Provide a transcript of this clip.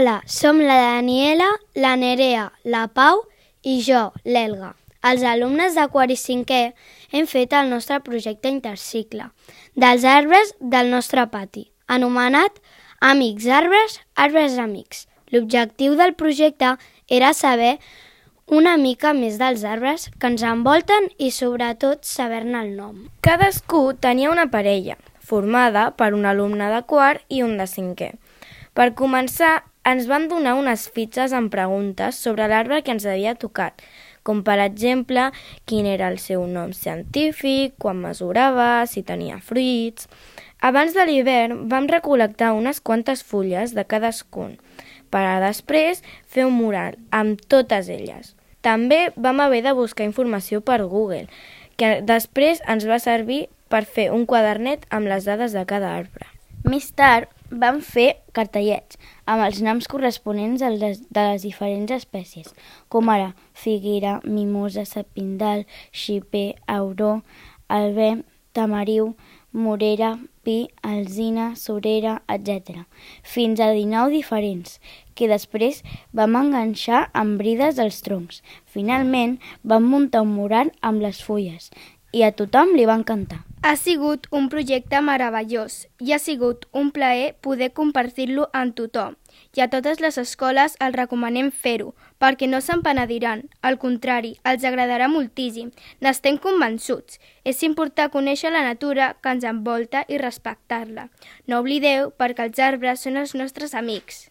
Hola, som la Daniela, la Nerea, la Pau i jo, l'Elga. Els alumnes de quart i cinquè hem fet el nostre projecte intercicle dels arbres del nostre pati, anomenat Amics Arbres, Arbres Amics. L'objectiu del projecte era saber una mica més dels arbres que ens envolten i sobretot saber-ne el nom. Cadascú tenia una parella, formada per un alumne de quart i un de cinquè. Per començar, ens van donar unes fitxes amb preguntes sobre l'arbre que ens havia tocat, com per exemple, quin era el seu nom científic, quan mesurava, si tenia fruits. Abans de l'hivern vam recol·lectar unes quantes fulles de cadascun, per a després fer un mural amb totes elles. També vam haver de buscar informació per Google, que després ens va servir per fer un quadernet amb les dades de cada arbre. Més tard vam fer cartellets amb els noms corresponents de les diferents espècies, com ara figuera, mimosa, sapindal, xiprer, auró, alber, tamariu, morera, pi, alzina, surera, etc. Fins a 19 diferents, que després vam enganxar amb brides als troncs. Finalment vam muntar un mural amb les fulles i a tothom li va encantar. Ha sigut un projecte meravellós i ha sigut un plaer poder compartir-lo amb tothom. I a totes les escoles els recomanem fer-ho, perquè no se'n penediran. Al contrari, els agradarà moltíssim. N'estem convençuts. És important conèixer la natura que ens envolta i respectar-la. No oblideu, perquè els arbres són els nostres amics.